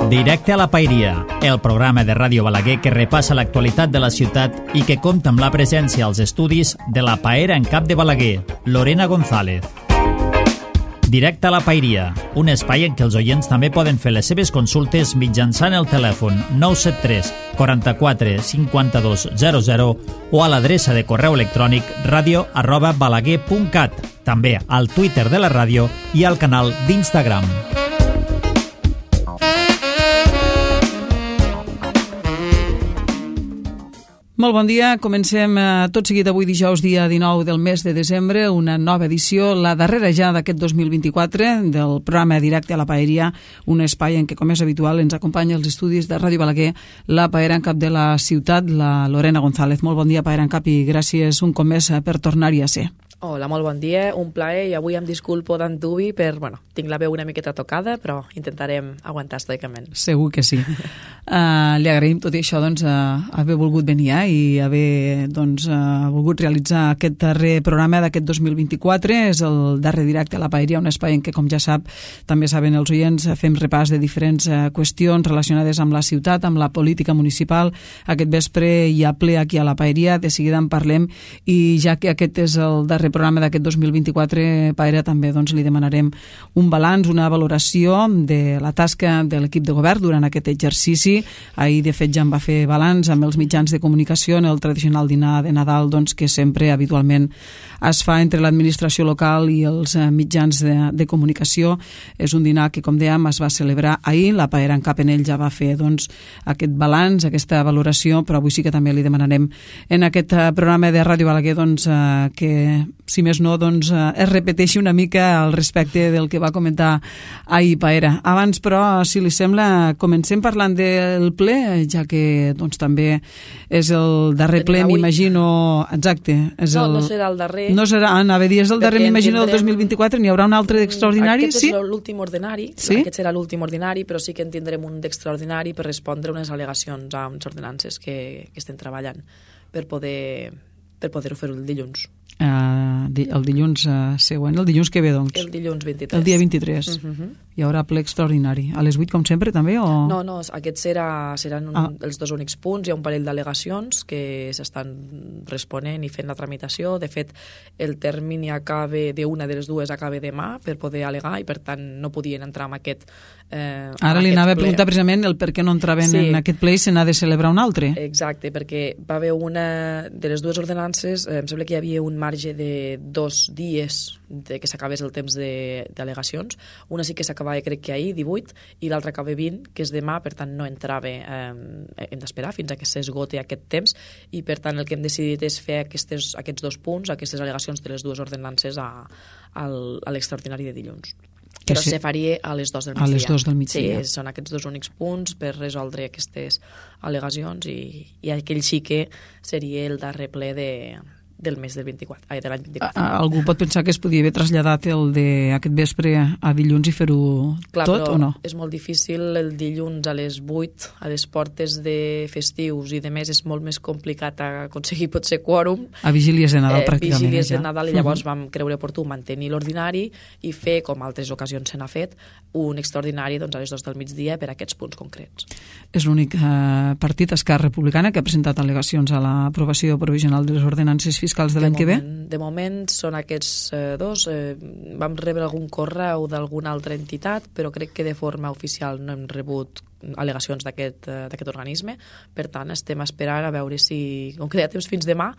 Directe a la Paeria, el programa de Ràdio Balaguer que repassa l'actualitat de la ciutat i que compta amb la presència als estudis de la paera en cap de Balaguer, Lorena González. Directe a la Paeria, un espai en què els oients també poden fer les seves consultes mitjançant el telèfon 973 44 52 00 o a l'adreça de correu electrònic radio@balaguer.cat, també al Twitter de la ràdio i al canal d'Instagram. Molt bon dia, comencem tot seguit avui dijous, dia 19 del mes de desembre, una nova edició, la darrera ja d'aquest 2024 del programa Directe a la Paeria, un espai en què, com és habitual, ens acompanya als estudis de Ràdio Balaguer la paera en cap de la ciutat, la Lorena González. Molt bon dia, paera en cap, i gràcies un cop més per tornar-hi a ser. Hola, molt bon dia, un plaer, i avui em disculpo d'antuvi per, tinc la veu una miqueta tocada, però intentarem aguantar estoicament. Segur que sí. Li agraïm tot i això, doncs, haver volgut venir i haver, doncs, volgut realitzar aquest darrer programa d'aquest 2024. És el darrer Directe a la Paeria, un espai en què, com ja sap, també saben els oients, fem repàs de diferents qüestions relacionades amb la ciutat, amb la política municipal. Aquest vespre hi ha ple aquí a la Paeria, de seguida en parlem, i ja que aquest és el darrer programa d'aquest 2024, Paera, també doncs, li demanarem un balanç, una valoració de la tasca de l'equip de govern durant aquest exercici. Ahir, de fet, ja en va fer balanç amb els mitjans de comunicació en el tradicional dinar de Nadal, doncs, que sempre, habitualment, es fa entre l'administració local i els mitjans de comunicació. És un dinar que, com dèiem, es va celebrar ahir. La Paera en cap en ell ja va fer, doncs, aquest balanç, aquesta valoració, però avui sí que també li demanarem en aquest programa de Ràdio Balaguer, doncs, que si més no, doncs, es repeteixi una mica al respecte del que va comentar ahir Paera. Abans, però, si li sembla, comencem parlant del ple, ja que doncs, també és el darrer ple, m'imagino. Exacte. No serà el darrer. No serà, anava a dir, és el darrer, m'imagino, del 2024. N'hi haurà un altre d'extraordinari? Aquest és l'últim ordinari. Sí? Aquest serà l'últim ordinari, però sí que en tindrem un d'extraordinari per respondre unes al·legacions a unes ordenances que estem treballant per poder-ho fer el dilluns. El dilluns següent, el dilluns que ve, doncs. El dilluns 23. El dia 23. Hi haurà ple extraordinari. A les 8, com sempre, també? O... No, aquests seran els dos únics punts. Hi ha un parell d'al·legacions que s'estan responent i fent la tramitació. De fet, el termini d'una de les dues acaba demà per poder al·legar i, per tant, no podien entrar en aquest Ara li anava a preguntar precisament el per què no entraven en aquest ple i se n'ha de celebrar un altre. Exacte, perquè va haver una de les dues ordenances, em sembla que hi havia un marge de 2 dies de que s'acabés el temps d'al·legacions. Una sí que s'acabava, crec que ahir, 18, i l'altra acaba 20, que és demà, per tant no entrava, hem d'esperar fins a que s'esgote aquest temps, i per tant el que hem decidit és fer aquests 2 punts, aquestes al·legacions de les dues ordenances a l'extraordinari de dilluns. Però se faria a les 2 del migdia. A les 2 del migdia. Sí, són aquests 2 únics punts per resoldre aquestes al·legacions i aquell sí que seria el darrer ple del mes del 24, de l'any 24. Algú pot pensar que es podia haver traslladat el d'aquest vespre a dilluns i fer-ho tot, o no? És molt difícil el dilluns a les 8, a les portes de festius i de més, és molt més complicat aconseguir potser quòrum. A vigílies de Nadal, pràcticament. Vigílies de Nadal, i llavors vam creure oportú mantenir l'ordinari i fer, com altres ocasions se n'ha fet, un extraordinari doncs, a les 2 del migdia per a aquests punts concrets. És l'únic partit, Esquerra Republicana, que ha presentat al·legacions a l'aprovació provisional de les ordenances fiscals de l'any que ve? De moment són aquests dos. Vam rebre algun correu d'alguna altra entitat, però crec que de forma oficial no hem rebut al·legacions d'aquest organisme. Per tant, estem esperant a veure si, com que hi ha temps fins demà,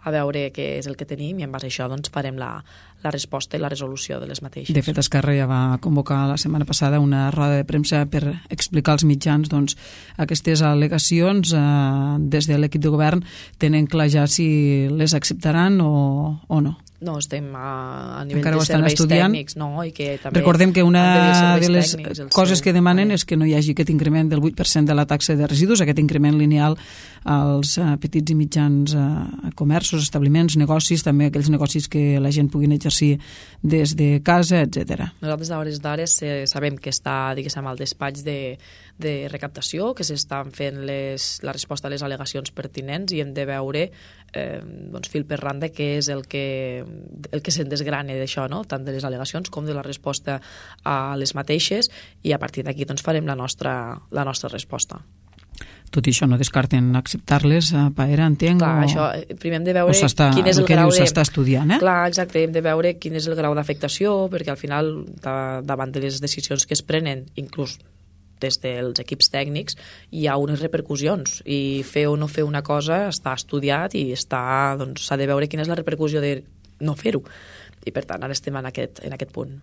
a veure què és el que tenim, i en base a això doncs, farem la resposta i la resolució de les mateixes. De fet, Esquerra ja va convocar la setmana passada una roda de premsa per explicar als mitjans doncs, aquestes al·legacions. Des de l'equip de govern tenen clar ja si les acceptaran o no. No, estem a nivell encara de serveis estudiant. tècnics, no? I que també recordem que una de les coses que demanen és que no hi hagi aquest increment del 8% de la taxa de residus, aquest increment lineal als petits i mitjans comerços, establiments, negocis, també aquells negocis que la gent puguin exercir des de casa, etc. Nosaltres a hores d'ara sabem que està, diguéssim, al despatx de recaptació, que s'estan fent la resposta a les al·legacions pertinents, i hem de veure doncs, fil per randa què és el que se'n desgrane d'això, no? Tant de les al·legacions com de la resposta a les mateixes, i a partir d'aquí doncs, farem la nostra resposta. Tot i això, no descarten acceptar-les a Paera, entenc? Clar, això, primer hem de veure quin és el que grau dius, s'està estudiant, eh? Clar, exacte, hem de veure quin és el grau d'afectació, perquè al final, davant de les decisions que es prenen, inclús des dels equips tècnics, hi ha unes repercussions, i fer o no fer una cosa està estudiat i s'ha de veure quina és la repercussió de no fer-ho. I per tant ara estem en aquest punt.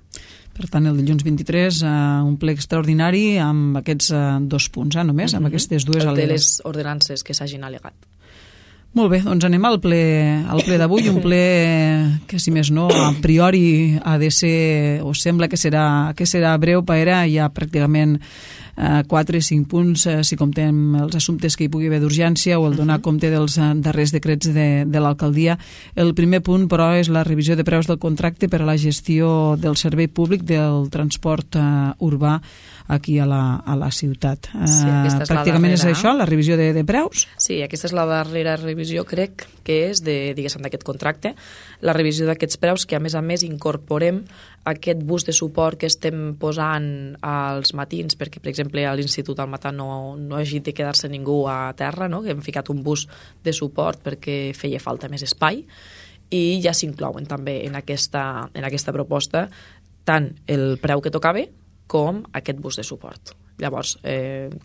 Per tant, el dilluns 23, un ple extraordinari amb aquests 2 punts, només, amb aquestes dues al·legacions. De les ordenances que s'hagin al·legat. Molt bé, doncs anem al ple d'avui, un ple que, si més no, a priori ha de ser, o sembla que serà breu. Paera, hi ha pràcticament 4-5 punts, si comptem els assumptes que hi pugui haver d'urgència o el donar compte dels darrers decrets de l'alcaldia. El primer punt, però, és la revisió de preus del contracte per a la gestió del servei públic del transport urbà aquí a la ciutat. Sí, pràcticament és això, la revisió de preus? Sí, aquesta és la darrera revisió, crec que és d'aquest contracte, la revisió d'aquests preus, que a més incorporem aquest bus de suport que estem posant als matins, perquè, per exemple, a l'Institut al matí no hagi de quedar-se ningú a terra, no? Que hem ficat un bus de suport perquè feia falta més espai, i ja s'inclouen també en aquesta proposta tant el preu que tocava com aquest bus de suport. Llavors,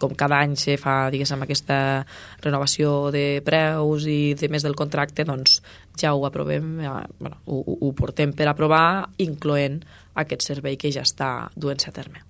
com cada any se fa, diguéssim, aquesta renovació de preus i de més del contracte, doncs ja ho aprovem, ho portem per aprovar, incloent aquest servei que ja està duent-se a terme.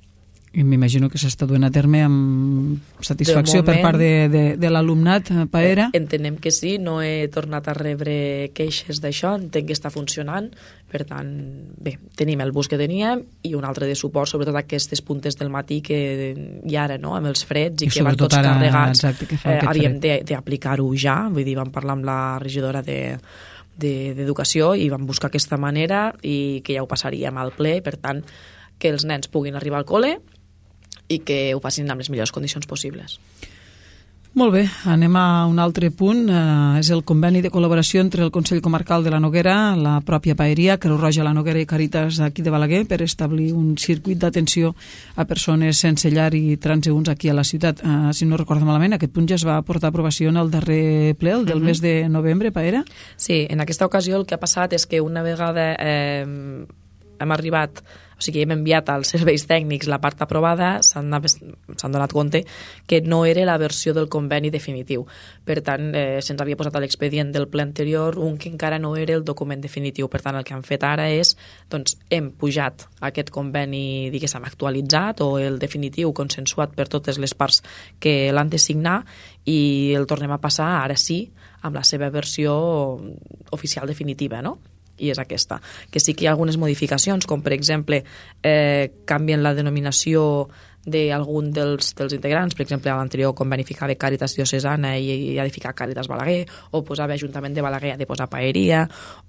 I m'imagino que s'està duent a terme amb satisfacció per part de l'alumnat, Paera? Entenem que sí, no he tornat a rebre queixes d'això, entenc que està funcionant, per tant, bé, tenim el bus que teníem i un altre de suport, sobretot aquestes puntes del matí que i ara, no?, amb els freds i que van tots carregats, havíem d'aplicar-ho ja, vull dir, vam parlar amb la regidora d'Educació i vam buscar aquesta manera i que ja ho passaríem al ple, per tant, que els nens puguin arribar al col·le i que ho facin amb les millors condicions possibles. Molt bé, anem a un altre punt. És el conveni de col·laboració entre el Consell Comarcal de la Noguera, la pròpia Paeria, Creu Roja, la Noguera i Càritas aquí de Balaguer per establir un circuit d'atenció a persones sense llar i transeünts aquí a la ciutat. Si no recordo malament, aquest punt ja es va portar a aprovació en el darrer ple, el del mes de novembre, Paera? Sí, en aquesta ocasió el que ha passat és que una vegada hem arribat, o sigui, hem enviat als serveis tècnics la part aprovada, s'han donat compte que no era la versió del conveni definitiu. Per tant, se'ns havia posat a l'expedient del ple anterior un que encara no era el document definitiu. Per tant, el que han fet ara és, doncs, hem pujat aquest conveni, diguéssim, actualitzat o el definitiu consensuat per totes les parts que l'han de signar i el tornem a passar, ara sí, amb la seva versió oficial definitiva, no? I és aquesta, que sí que hi ha algunes modificacions, com per exemple canvien la denominació d'algun dels integrants, per exemple a l'anterior conveni ficava Càritas Diocesana i ha de ficar Càritas Balaguer, o posava Ajuntament de Balaguer, ha de posar Paeria,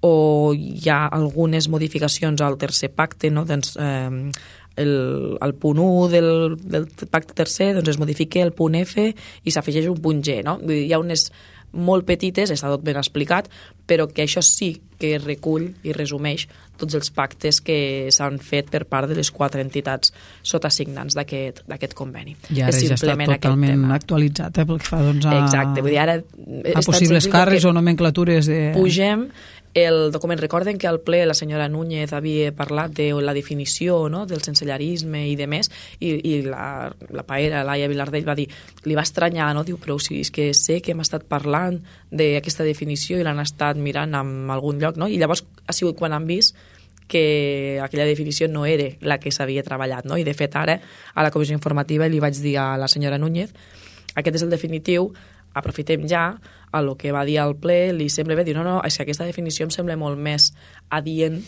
o hi ha algunes modificacions al tercer pacte, no? Doncs, el punt 1 del pacte tercer, doncs es modifica el punt F i s'afegeix un punt G, no? Vull dir, hi ha unes molt petites, està tot ben explicat, però que això sí que recull i resumeix tots els pactes que s'han fet per part de les 4 entitats sotasignants d'aquest conveni. I ara ja està totalment actualitzat, pel que fa doncs, exacte, vull dir, ara a possibles càrrecs o nomenclatures de... Pugem el document. Recorden que al ple la senyora Núñez havia parlat de la definició, no?, del sensellarisme i de més, i la Paera, Laia Vilardell, va dir, li va estranyar, no?, diu, però si és que sé que hem estat parlant d'aquesta definició i l'han estat mirant en algun lloc, no?, i llavors ha sigut quan han vist que aquella definició no era la que s'havia treballat, no?, i de fet ara a la comissió informativa li vaig dir a la senyora Núñez, aquest és el definitiu, aprofitem ja a lo que va dir al ple, li sembla bé, diu, no, és que aquesta definició em sembla molt més adient,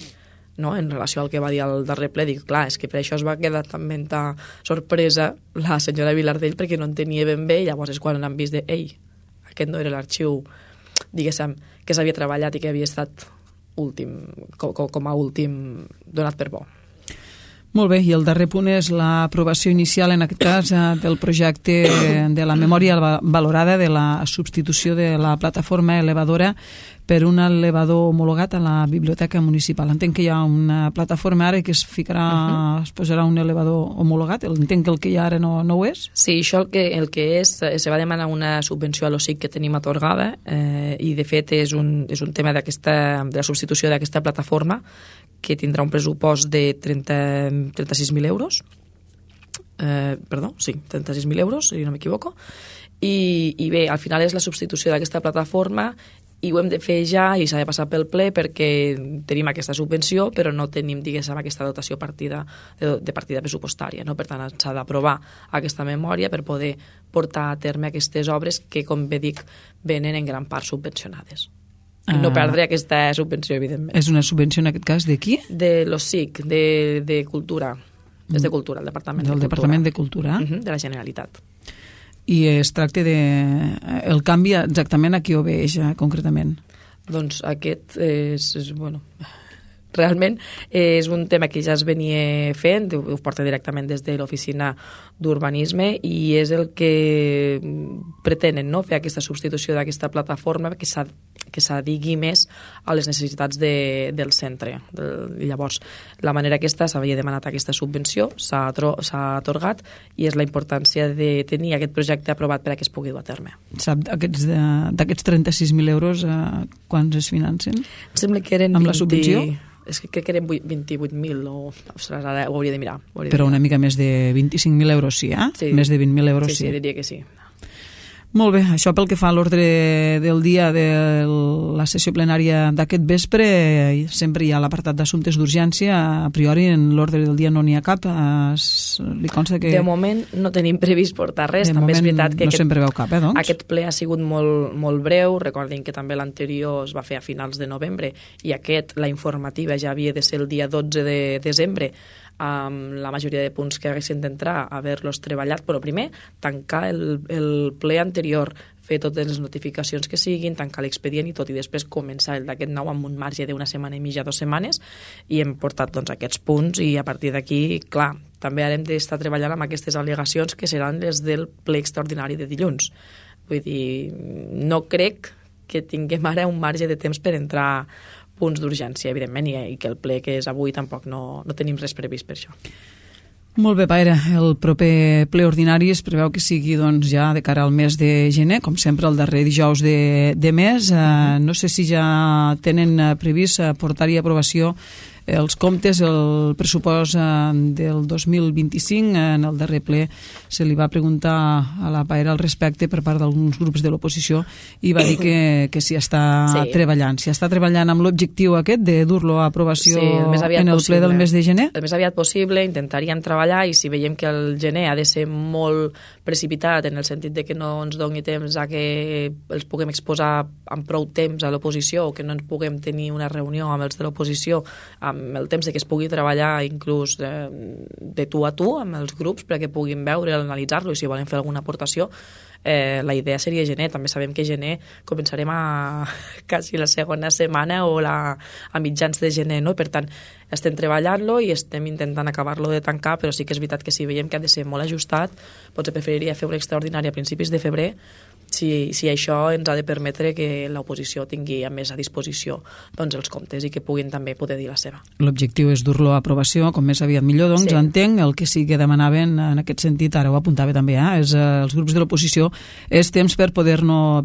no?, en relació al que va dir al darrer ple. Dic, clar, és que per això es va quedar també tan sorpresa la senyora Vilardell, perquè no entenia ben bé, i llavors és quan han vist de, ei, aquest no era l'arxiu, diguéssim, que s'havia treballat i que havia estat últim, com a últim donat per bo. Molt bé, i el darrer punt és l'aprovació inicial, en aquest cas, del projecte de la memòria valorada de la substitució de la plataforma elevadora per un elevador homologat a la biblioteca municipal. Entenc que hi ha una plataforma ara que es posarà un elevador homologat. Entenc que el que hi ha ara no ho és? Sí, això el que és, se va demanar una subvenció a l'OSIC que tenim atorgada i de fet és un tema de la substitució d'aquesta plataforma que tindrà un pressupost de 36.000 euros. Perdó, sí, 36.000 euros, si no m'equivoco. I bé, al final és la substitució d'aquesta plataforma i ho hem de fer ja i s'ha de passar pel ple perquè tenim aquesta subvenció però no tenim, diguéssim, aquesta dotació de partida pressupostària, no? Per tant, s'ha d'aprovar aquesta memòria per poder portar a terme aquestes obres que, com bé dic, venen en gran part subvencionades. I no perdre aquesta subvenció, evidentment. És una subvenció, en aquest cas, de qui? De l'OSIC, de Cultura. És de Cultura, el Departament de Cultura. Del Departament de Cultura. De la Generalitat. I es tracta de... El canvi exactament a qui obeeix, concretament? Doncs aquest bueno, realment és un tema que ja es venia fent, ho porta directament des de l'oficina d'urbanisme i és el que pretenen, no? Fer aquesta substitució d'aquesta plataforma que s'adigui més a les necessitats del centre. Llavors, la manera aquesta s'havia demanat aquesta subvenció, s'ha atorgat i és la importància de tenir aquest projecte aprovat per a que es pugui dur a terme. Sap, d'aquests 36.000 euros, quants es financen? Em sembla que eren amb la subvenció? És que crec que eren 28.000 ostres, ara ho hauria de mirar. Però una mica més de 25.000 euros sí, eh? Sí. Més de 20.000 euros sí. Sí, diria que sí. Molt bé, això pel que fa a l'ordre del dia de la sessió plenària d'aquest vespre, sempre hi ha l'apartat d'assumptes d'urgència, a priori en l'ordre del dia no n'hi ha cap, li consta que... De moment no tenim previst portar res, també és veritat que no sempre veu cap, doncs? Aquest ple ha sigut molt breu, recordin que també l'anterior es va fer a finals de novembre i aquest, la informativa, ja havia de ser el dia 12 de desembre, amb la majoria de punts que haguessin d'entrar, haver-los treballat, però primer tancar el ple anterior, fer totes les notificacions que siguin, tancar l'expedient i tot, i després començar el d'aquest nou amb un marge d'una setmana i mitja, 2 setmanes, i hem portat doncs, aquests punts i a partir d'aquí, clar, també hem d'estar treballant amb aquestes al·legacions que seran les del ple extraordinari de dilluns. Vull dir, no crec que tinguem ara un marge de temps per entrar punts d'urgència, evidentment, i que el ple que és avui tampoc no tenim res previst per això. Molt bé, Paire. El proper ple ordinari es preveu que sigui doncs, ja de cara al mes de gener, com sempre el darrer dijous de mes. No sé si ja tenen previst portar-hi a aprovació els comptes, el pressupost del 2025. En el darrer ple se li va preguntar a la Paire al respecte per part d'alguns grups de l'oposició i va dir que s'hi està treballant. S'hi està treballant amb l'objectiu aquest de dur-lo a aprovació en el ple del mes de gener? El més aviat possible, intentaríem treballar i si veiem que el gener ha de ser molt precipitat en el sentit de que no ens doni temps a que els puguem exposar amb prou temps a l'oposició o que no ens puguem tenir una reunió amb els de l'oposició amb el temps que es pugui treballar inclús de tu a tu amb els grups perquè puguin veure, analitzar-lo i si volen fer alguna aportació, la idea seria gener. També sabem que gener començarem a quasi la segona setmana o a mitjans de gener, no? Per tant, estem treballant-lo i estem intentant acabar-lo de tancar, però sí que és veritat que si veiem que ha de ser molt ajustat, potser preferiria fer un extraordinari a principis de febrer si això ens ha de permetre que l'oposició tingui a més a disposició doncs, els comptes i que puguin també poder dir la seva. L'objectiu és dur-lo a aprovació, com més aviat millor, doncs sí. Entenc el que sí que demanaven en aquest sentit, ara ho apuntava també, és els grups de l'oposició, és temps per poder-lo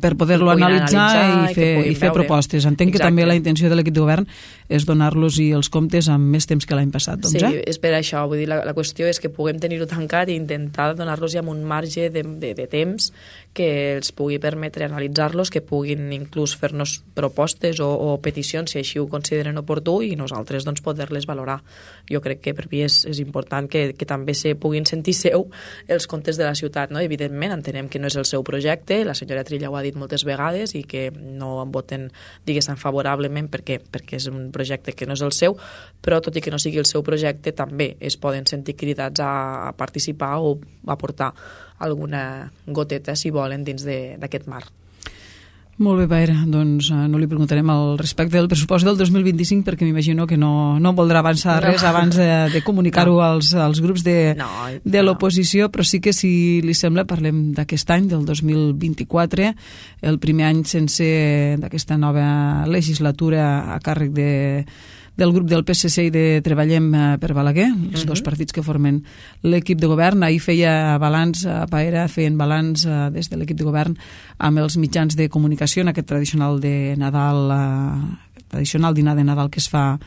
analitzar i fer propostes. Entenc que també la intenció de l'equip de govern és donar-los els comptes amb més temps que l'any passat. Doncs, sí, és per això. Vull dir, la qüestió és que puguem tenir-ho tancat i intentar donar-los ja amb un marge de temps que els pugui permetre analitzar-los, que puguin inclús fer-nos propostes o peticions si així ho consideren oportú i nosaltres doncs, poder-les valorar. Jo crec que per mi és important que també se puguin sentir seu els comptes de la ciutat. No? Evidentment, entenem que no és el seu projecte, la senyora Trilla ho ha dit moltes vegades i que no en voten, diguéssim, favorablement perquè és un projecte que no és el seu, però tot i que no sigui el seu projecte també es poden sentir cridats a participar o a aportar alguna goteta, si volen, dins d'aquest marc. Molt bé, Paera, doncs no li preguntarem al respecte del pressupost del 2025 perquè m'imagino que no voldrà avançar res abans de comunicar-ho als grups de l'oposició, però sí que, si li sembla, parlem d'aquest any, del 2024, el primer any sense d'aquesta nova legislatura a càrrec del grup del PSC i de Treballem per Balaguer, els dos partits que formen l'equip de govern. Ahir feia balanç, Paera, feien balanç des de l'equip de govern amb els mitjans de comunicació en aquest tradicional de Nadal, tradicional dinar de Nadal que es fa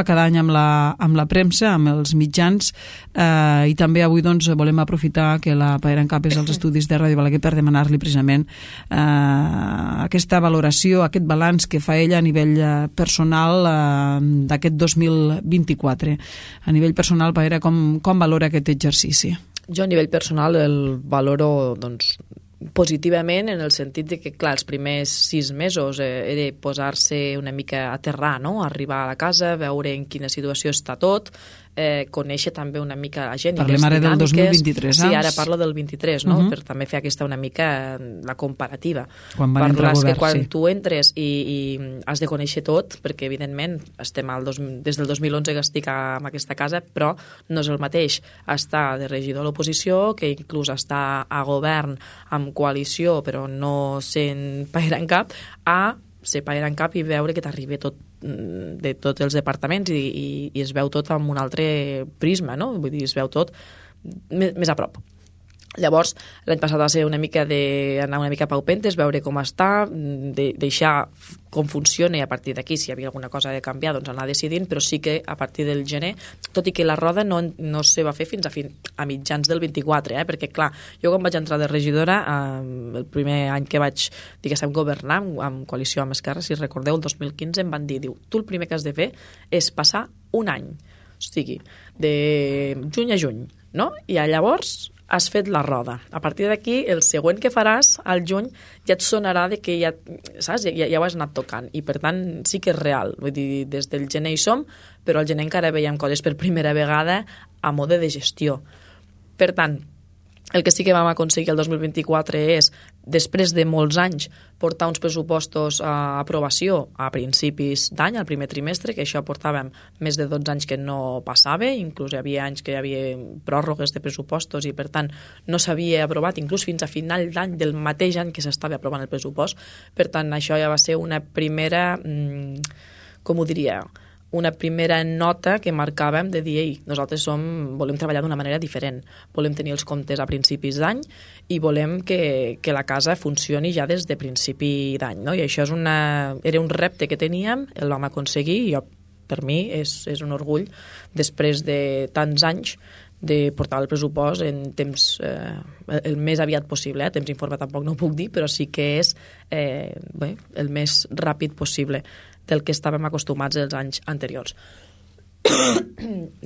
cada any amb la premsa, amb els mitjans, i també avui doncs volem aprofitar que la Paera en Cap és als estudis de Ràdio Balaguer per demanar-li precisament aquesta valoració, aquest balanç que fa ella a nivell personal d'aquest 2024. A nivell personal, Paera, com valora aquest exercici? Jo a nivell personal el valoro doncs positivament, en el sentit de que, clar, els primers 6 mesos era posar-se una mica a aterrar, no? Arribar a la casa, veure en quina situació està tot, conèixer també una mica la gent. Parlem ara del 2023, Sí, ara parlo del 23, no? Per també fer una mica la comparativa. Quan van entrar al govern, quan tu entres i has de conèixer tot, perquè evidentment estem des del 2011 que estic en aquesta casa, però no és el mateix estar de regidor a l'oposició que inclús estar a govern amb coalició però no sent Paera en Cap, a ser Paera en Cap i veure que t'arriba tot de tots els departaments i es veu tot amb un altre prisma, no? Vull dir, es veu tot més a prop. Llavors, l'any passat va ser anar una mica paupentes, veure com està, deixar com funciona, i a partir d'aquí, si hi havia alguna cosa de canviar, doncs anar decidint, però sí que a partir del gener, tot i que la roda no se va fer fins a mitjans del 24, perquè clar, jo quan vaig entrar de regidora, el primer any que vaig, diguéssim, governar amb coalició amb Esquerra, si recordeu, el 2015 em van dir, tu el primer que has de fer és passar un any, o sigui, de juny a juny, no? I llavors has fet la roda. A partir d'aquí, el següent que faràs, al juny, ja et sonarà de que ja, saps? Ja ho has anat tocant. I, per tant, sí que és real. Vull dir, des del gener hi som, però al gener encara veiem coses per primera vegada a mode de gestió. Per tant, el que sí que vam aconseguir el 2024 és, després de molts anys, portar uns pressupostos a aprovació a principis d'any, al primer trimestre, que això portàvem més de 12 anys que no passava, inclús hi havia anys que hi havia pròrrogues de pressupostos i, per tant, no s'havia aprovat inclús fins a final d'any del mateix any que s'estava aprovant el pressupost. Per tant, això ja va ser una primera, com ho diria, una primera nota que marcàvem de dir, nosaltres volem treballar d'una manera diferent, volem tenir els comptes a principis d'any i volem que la casa funcioni ja des de principi d'any, no? I això era un repte que teníem, el vam aconseguir i per mi és un orgull, després de tants anys, de portar el pressupost en temps el més aviat possible, temps informe tampoc no ho puc dir, però sí que és el més ràpid possible del que estàvem acostumats els anys anteriors.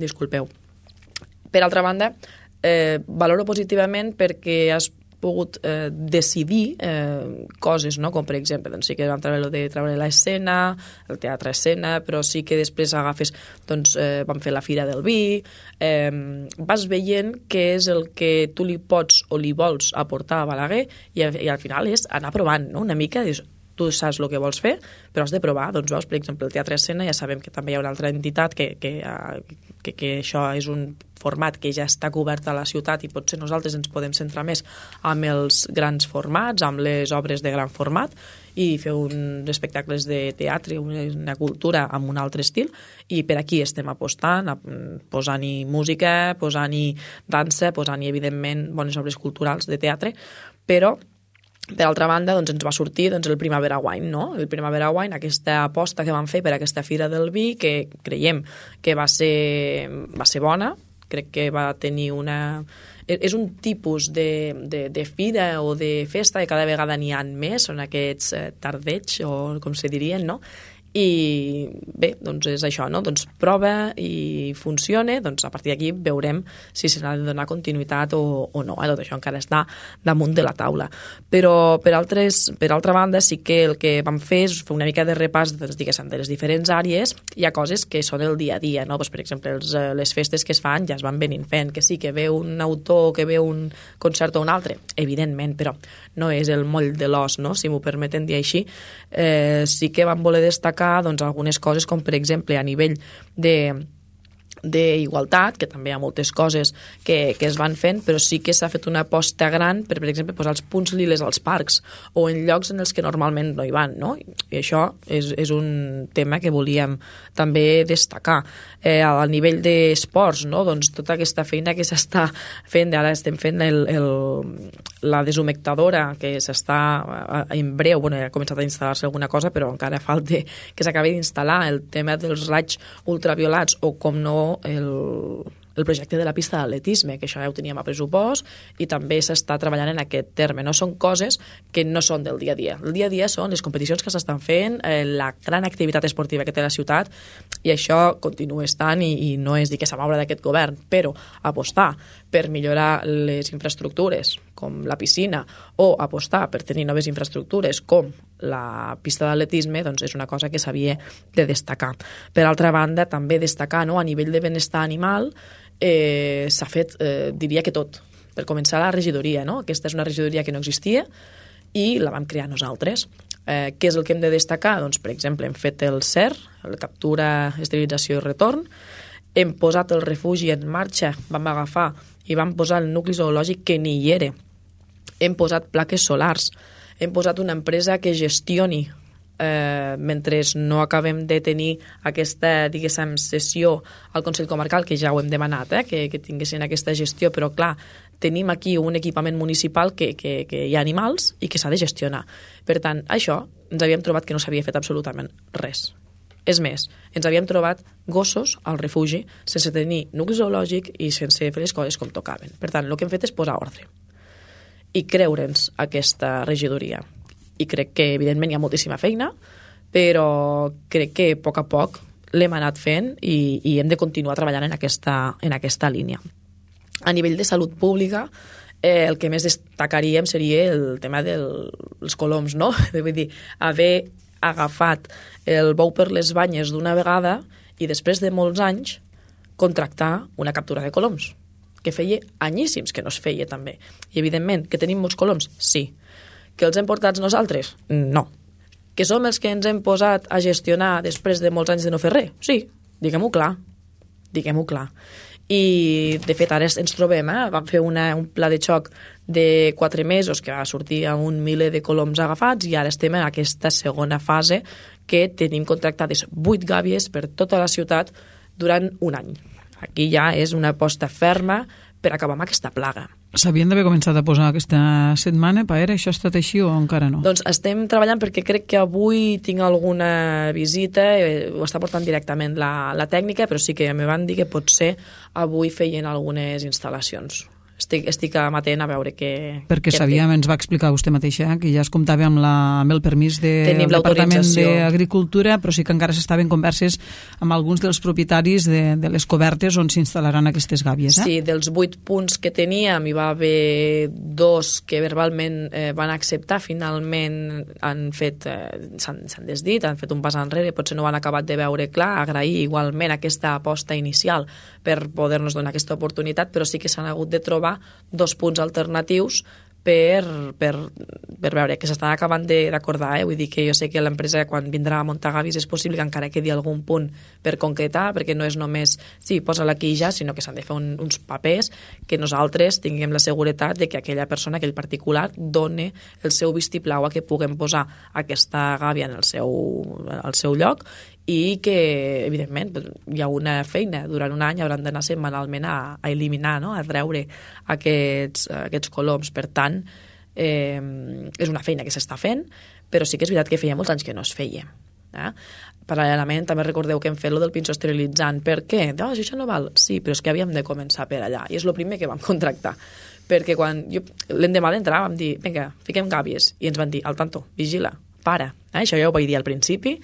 Disculpeu. Per altra banda, valoro positivament perquè has pogut decidir coses, no? Com per exemple, doncs sí que vam treure l'escena, el teatre escena, però sí que després agafes, doncs vam fer la Fira del Vi, vas veient què és el que tu li pots o li vols aportar a Balaguer i al final és anar provant, no? Una mica, dius, tu saps el que vols fer, però has de provar. Doncs veus, per exemple, el Teatre Escena, ja sabem que també hi ha una altra entitat que això és un format que ja està cobert a la ciutat i potser nosaltres ens podem centrar més amb els grans formats, amb les obres de gran format i fer uns espectacles de teatre, una cultura amb un altre estil, i per aquí estem apostant, posant-hi música, posant-hi dansa, posant-hi, evidentment, bones obres culturals de teatre, però per altra banda, doncs, ens va sortir el Primavera Wine, no? El Primavera Wine, aquesta aposta que vam fer per aquesta Fira del Vi, que creiem que va ser bona, crec que va tenir és un tipus de fira o de festa que cada vegada n'hi ha més, són aquests tardeigs, o com se dirien, no? i bé, doncs és això, no? Doncs prova i funcione, doncs a partir d'aquí veurem si se n'ha de donar continuïtat o no. Tot això encara està damunt de la taula. Però per altra banda sí que el que vam fer és fer una mica de repàs de les diferents àrees. Hi ha coses que són el dia a dia, no? Doncs, per exemple, les festes que es fan ja es van venint fent, que sí, que ve un autor, que ve un concert o un altre, evidentment, però no és el moll de l'os, no? Si m'ho permeten dir així. Sí que vam voler destacar doncs, algunes coses, com per exemple a nivell d'igualtat, que també hi ha moltes coses que es van fent, però sí que s'ha fet una aposta gran per exemple, posar els punts liles als parcs o en llocs en els que normalment no hi van, no? I això és un tema que volíem també destacar. A nivell d'esports, no? Doncs tota aquesta feina que s'està fent, ara estem fent la deshumectadora, que s'està en breu, ha començat a instal·lar-se alguna cosa, però encara falta que s'acabi d'instal·lar el tema dels raigs ultraviolats o, com no, el projecte de la pista d'atletisme, que això ja ho teníem a pressupost i també s'està treballant en aquest terme. No són coses que no són del dia a dia. El dia a dia són les competicions que s'estan fent, la gran activitat esportiva que té la ciutat, i això continua estant i no és dir que s'ha moure d'aquest govern, però apostar per millorar les infraestructures, com la piscina, o apostar per tenir noves infraestructures, com la pista d'atletisme, doncs és una cosa que s'havia de destacar. Per altra banda, també destacar, no, a nivell de benestar animal, s'ha fet, diria que tot. Per començar, la regidoria, no? Aquesta és una regidoria que no existia i la vam crear nosaltres. Què és el que hem de destacar? Doncs, per exemple, hem fet el CER, la captura, esterilització i retorn, hem posat el refugi en marxa, vam agafar i vam posar el nucli zoològic que ni hi era. Hem posat plaques solars, hem posat una empresa que gestioni mentre no acabem de tenir aquesta, diguéssim, sessió al Consell Comarcal, que ja ho hem demanat, que tinguessin aquesta gestió, però clar, tenim aquí un equipament municipal que hi ha animals i que s'ha de gestionar. Per tant, això ens havíem trobat que no s'havia fet absolutament res. És més, ens havíem trobat gossos al refugi sense tenir nucli zoològic i sense fer les coses com tocaven. Per tant, el que hem fet és posar ordre i creure'ns aquesta regidoria. I crec que, evidentment, hi ha moltíssima feina, però crec que a poc l'hem anat fent i hem de continuar treballant en aquesta línia. A nivell de salut pública, el que més destacaríem seria el tema dels coloms, no? Vull dir, haver agafat el bou per les banyes d'una vegada i després de molts anys contractar una captura de coloms, que feia anyíssims que no es feia també. I evidentment, que tenim molts coloms? Sí. Que els hem portats nosaltres? No. Que som els que ens hem posat a gestionar després de molts anys de no fer res? Sí, diguem-ho clar. Diguem-ho clar. I, de fet, ara ens trobem, vam fer un pla de xoc de 4 mesos que va sortir a 1 miler de coloms agafats i ara estem en aquesta segona fase que tenim contractades 8 gàbies per tota la ciutat durant un any. Aquí ja és una aposta ferma per acabar amb aquesta plaga. S'havien d'haver començat a posar aquesta setmana, Paera? Això ha estat així o encara no? Doncs estem treballant perquè crec que avui tinc alguna visita, ho està portant directament la tècnica, però sí que me van dir que potser avui feien algunes instal·lacions. Estic amatent a veure què... Perquè sabíem, ens va explicar vostè mateixa, que ja es comptava amb el permís del Departament d'Agricultura, però sí que encara s'estaven converses amb alguns dels propietaris de les cobertes on s'instal·laran aquestes gàbies. Sí, dels 8 punts que teníem hi va haver 2 que verbalment van acceptar, finalment s'han desdit, han fet un pas enrere, potser no ho han acabat de veure clar, agrair igualment aquesta aposta inicial per poder-nos donar aquesta oportunitat, però sí que s'han hagut de trobar 2 punts alternatius per veure que s'estan acabant d'acordar. Vull dir que jo sé que l'empresa, quan vindrà a muntar gàbies, és possible que encara quedi algun punt per concretar, perquè no és només sí, posa-la aquí ja, sinó que s'han de fer uns papers que nosaltres tinguem la seguretat de que aquella persona, aquell particular, doni el seu vistiplau a que puguem posar aquesta gàbia en el seu lloc i que, evidentment, hi ha una feina. Durant un any hauran d'anar setmanalment a eliminar, no? A treure aquests coloms. Per tant, és una feina que s'està fent, però sí que és veritat que feia molts anys que no es feia. Paral·lelament, també recordeu que hem fet lo del pinso esterilitzant. Per què? Si això no val. Sí, però és que havíem de començar per allà, i és el primer que vam contractar. Perquè quan l'endemà d'entrar vam dir, vinga, fiquem gàbies, i ens van dir, al tanto, vigila, para. Això ja ho vaig dir al principi,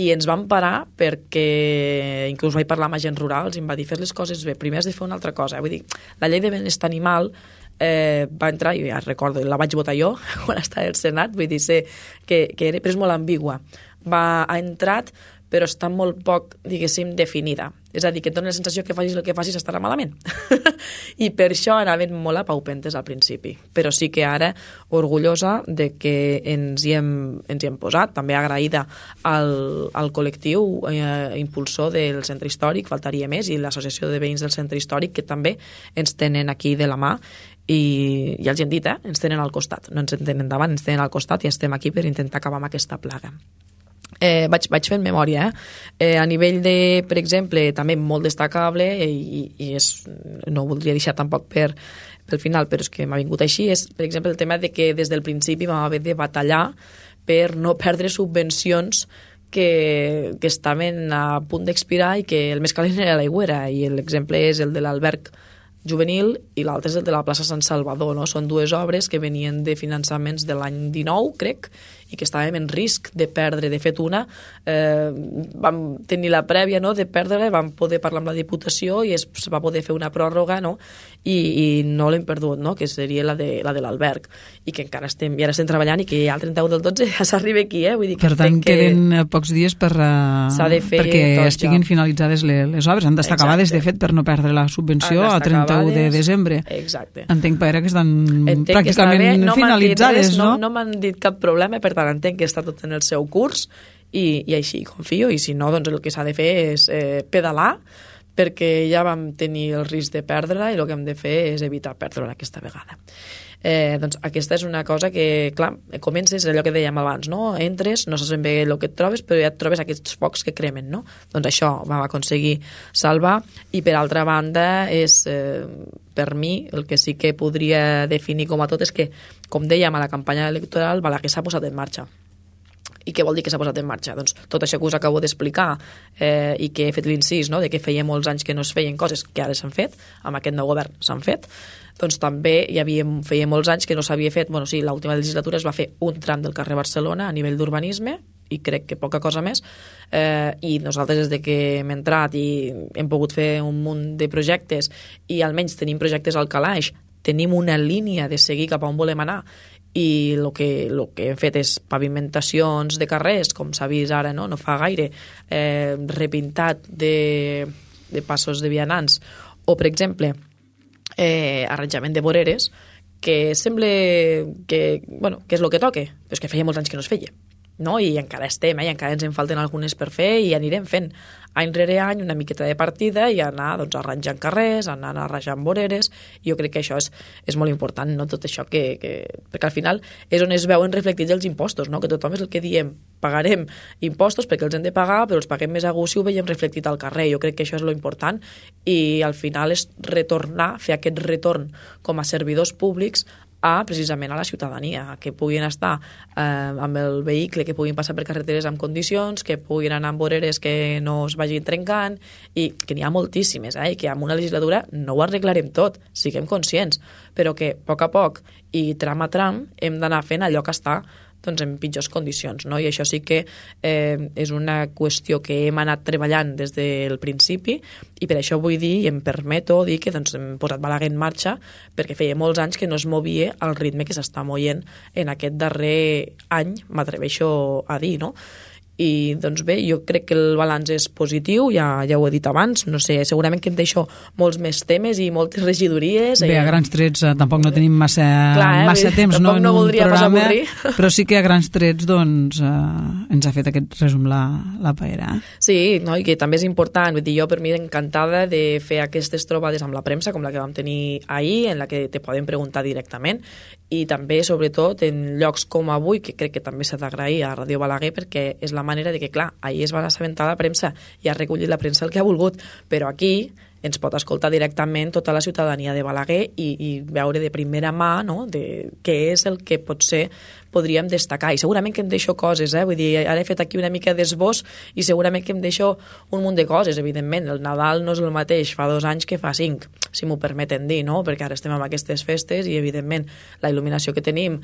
i ens van parar perquè, inclús vaig parlar amb agents rurals, i em va dir, fes les coses bé, primer has de fer una altra cosa. Vull dir, la llei de benestar animal va entrar, i ja recordo, la vaig votar jo quan estava al Senat, vull dir, sé que era, però és molt ambigua. Ha entrat, però està molt poc, diguéssim, definida. És a dir, que et dona la sensació que facis el que facis estarà malament. I per això anaven molt a paupentes al principi. Però sí que ara, orgullosa de que ens hi hem posat, també agraïda al col·lectiu impulsor del centre històric, faltaria més, i l'associació de veïns del centre històric, que també ens tenen aquí de la mà, i ja els hem dit, ens tenen al costat, no ens en tenen davant, ens tenen al costat, i estem aquí per intentar acabar amb aquesta plaga. Vaig fent memòria, a nivell de, per exemple, també molt destacable, i no ho voldria deixar tampoc pel final, però és que m'ha vingut així, és, per exemple, el tema de que des del principi vam haver de batallar per no perdre subvencions que estaven a punt d'expirar i que el més calent era l'aigüera, i l'exemple és el de l'alberg juvenil i l'altre és el de la plaça Sant Salvador, no? Són dues obres que venien de finançaments de l'any 19, crec, i que estàvem en risc de perdre. De fet, una vam tenir la prèvia, no?, de perdre, vam poder parlar amb la Diputació i es va poder fer una pròrroga, no?, i no l'hem perdut, no?, que seria la de l'alberg, i que encara estem treballant, i que ja el 31 del 12 ja s'arriba aquí, vull dir que... Per tant, queden pocs dies perquè estiguin finalitzades les obres. Han d'estar acabades, de fet, per no perdre la subvenció a 31 de desembre. Exacte. Entenc, Paera, que estan pràcticament finalitzades, no? No m'han dit cap problema, per tant, entenc que està tot en el seu curs, i així confio, i si no, doncs el que s'ha de fer és pedalar, perquè ja vam tenir el risc de perdre-la, i el que hem de fer és evitar perdre-la aquesta vegada. Doncs aquesta és una cosa que, clar, comences, allò que dèiem abans, no? Entres, no saps ben bé el que et trobes, però ja et trobes aquests focs que cremen, no? Doncs això vam aconseguir salvar, i per altra banda és, per mi, el que sí que podria definir com a tot és que, com dèiem a la campanya electoral, Balaguer s'ha posat en marxa. I què vol dir que s'ha posat en marxa? Doncs tot això que us acabo d'explicar, i que he fet l'incís, no?, de que feia molts anys que no es feien coses que ara s'han fet, amb aquest nou govern s'han fet, doncs també feia molts anys que no s'havia fet, bueno, sí, l'última legislatura es va fer un tram del carrer Barcelona a nivell d'urbanisme, i crec que poca cosa més, i nosaltres des de que hem entrat i hem pogut fer un munt de projectes, i almenys tenim projectes al calaix, tenim una línia de seguir cap a on volem anar, i el que hem fet és pavimentacions de carrers, com s'ha vist ara, no fa gaire, repintat de passos de vianants, o, per exemple, arranjament de voreres, que sembla que és el que toca, però és que feia molts anys que no es feia, no? I encara estem, i encara ens en falten algunes per fer, i anirem fent any rere any una miqueta de partida, i anar arranjant carrers, anar arranjant voreres. Jo crec que això és molt important, no? Tot això perquè al final és on es veuen reflectits els impostos, no? Que tothom és el que diem, pagarem impostos perquè els hem de pagar, però els paguem més a gust si ho veiem reflectit al carrer. Jo crec que això és lo important, i al final és retornar, fer aquest retorn com a servidors públics precisament a la ciutadania, que puguin estar amb el vehicle, que puguin passar per carreteres amb condicions, que puguin anar amb voreres que no es vagin trencant, i que n'hi ha moltíssimes, i que amb una legislatura no ho arreglarem tot, siguem conscients, però que a poc i tram a tram hem d'anar fent allò que està en pitjors condicions, no? I això sí que és una qüestió que hem anat treballant des del principi, i per això vull dir, i em permeto dir que hem posat Balaguer en marxa, perquè feia molts anys que no es movia al ritme que s'està movent en aquest darrer any, m'atreveixo a dir, no? I doncs bé, jo crec que el balanç és positiu, ja ho he dit abans, no sé, segurament que em deixo molts més temes i moltes regidories. Bé, a grans trets tampoc no tenim massa temps, no, en no un programa, però sí que a grans trets doncs ens ha fet aquest resum la Paera. Sí, no, i que també és important, vull dir, jo per mi encantada de fer aquestes trobades amb la premsa, com la que vam tenir ahir, en la que te poden preguntar directament, i també, sobretot, en llocs com avui, que crec que també s'ha d'agrair a Ràdio Balaguer, perquè és la manera de que, clar, ahir es va assabentar la premsa i ha recollit la premsa el que ha volgut, però aquí ens pot escoltar directament tota la ciutadania de Balaguer i veure de primera mà, no?, de què és el que potser podríem destacar. I segurament que em deixo coses, vull dir, ara he fet aquí una mica d'esbós i segurament que em deixo un munt de coses, evidentment. El Nadal no és el mateix fa 2 anys que fa 5, si m'ho permeten dir, no?, perquè ara estem amb aquestes festes i, evidentment, la il·luminació que tenim,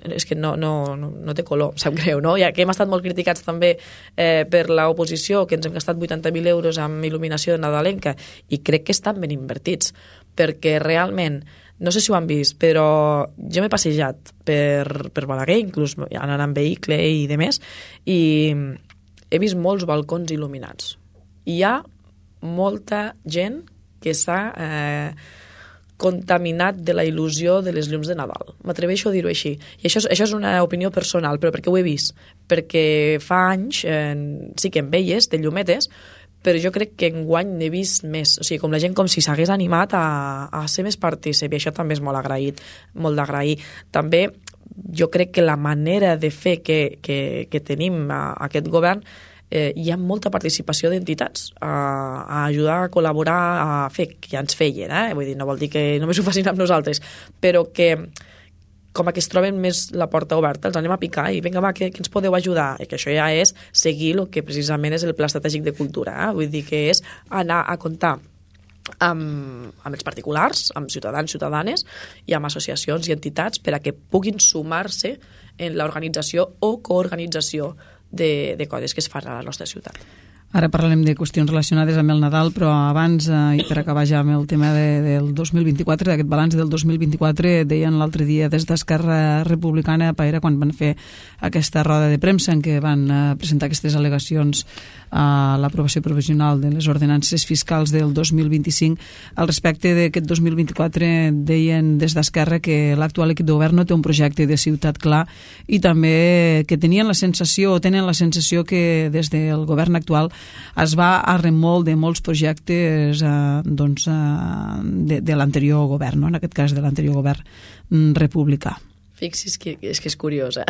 és que no té color, sap greu, no? Ja que hem estat molt criticats també per l'oposició, que ens hem gastat 80.000 euros amb il·luminació nadalenca, i crec que estan ben invertits, perquè realment, no sé si ho han vist, però jo m'he passejat per Balaguer, inclús anant en vehicle i demés, i he vist molts balcons il·luminats. Hi ha molta gent que s'ha contaminat de la il·lusió de les llums de Nadal. M'atreveixo a dir-ho així. I això és una opinió personal, però perquè ho he vist. Perquè fa anys sí que en veies de llumetes, però jo crec que enguany n'he vist més. O sigui, com la gent com si s'hagués animat a ser més partícip, i això també és molt agraït, molt d'agrair. També jo crec que la manera de fer que tenim aquest govern, hi ha molta participació d'entitats a ajudar, a col·laborar, a fer, que ja ens feien, vull dir, no vol dir que només ho facin amb nosaltres, però que com que es troben més la porta oberta, els anem a picar i vinga, va, que ens podeu ajudar, i que això ja és seguir el que precisament és el Pla Estratègic de Cultura, vull dir que és anar a comptar amb els particulars, amb ciutadans, ciutadanes i amb associacions i entitats per a que puguin sumar-se en l'organització o coorganització de coses que es fan a la nostra ciutat. Ara parlarem de qüestions relacionades amb el Nadal, però abans, i per acabar ja amb el tema del 2024, d'aquest balanç del 2024, deien l'altre dia des d'Esquerra Republicana, Paera, quan van fer aquesta roda de premsa en què van presentar aquestes al·legacions a l'aprovació provisional de les ordenances fiscals del 2025. Al respecte d'aquest 2024 deien des d'Esquerra que l'actual equip de govern no té un projecte de ciutat clar i també que tenien la sensació, o tenen la sensació que des del govern actual es va a remolc de molts projectes de l'anterior govern, no? En aquest cas de l'anterior govern republicà. Fixi's que és curiós,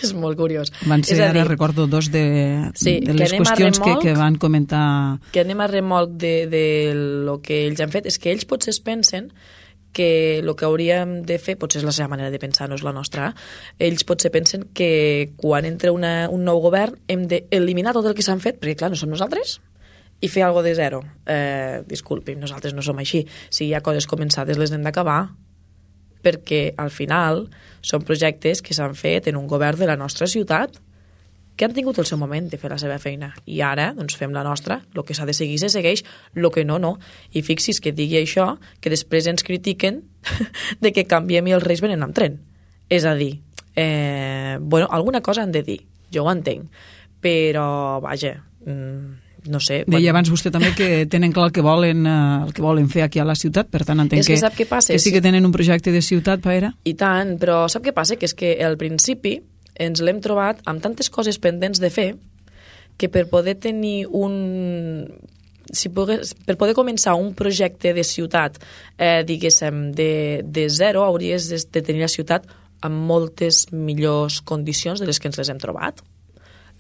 és molt curiós. Van ser, ara recordo, dos de les qüestions que van comentar. Que anem a remolc de lo que ells han fet, és que ells potser es pensen que el que hauríem de fer, potser és la seva manera de pensar, no és la nostra, ells potser pensen que quan entra un nou govern hem d'eliminar tot el que s'han fet, perquè clar, no som nosaltres, i fer alguna de zero. Disculpi, nosaltres no som així. Si hi ha coses començades, les hem d'acabar, perquè al final són projectes que s'han fet en un govern de la nostra ciutat que han tingut el seu moment de fer la seva feina i ara doncs fem la nostra, el que s'ha de seguir se segueix, el que no, no. I fixi's que digui això, que després ens critiquen de que canviem i els reis venen amb tren. És a dir, bueno, alguna cosa han de dir, jo ho entenc, però vaja, no sé. Deia abans vostè també que tenen clar el que volen fer aquí a la ciutat, per tant entenc que sí que tenen un projecte de ciutat, Paera. I tant, però sap què passa? Que és que al principi ens l'hem trobat amb tantes coses pendents de fer que per poder tenir per poder començar un projecte de ciutat, diguéssim, de zero, hauries de tenir la ciutat amb moltes millors condicions de les que ens les hem trobat.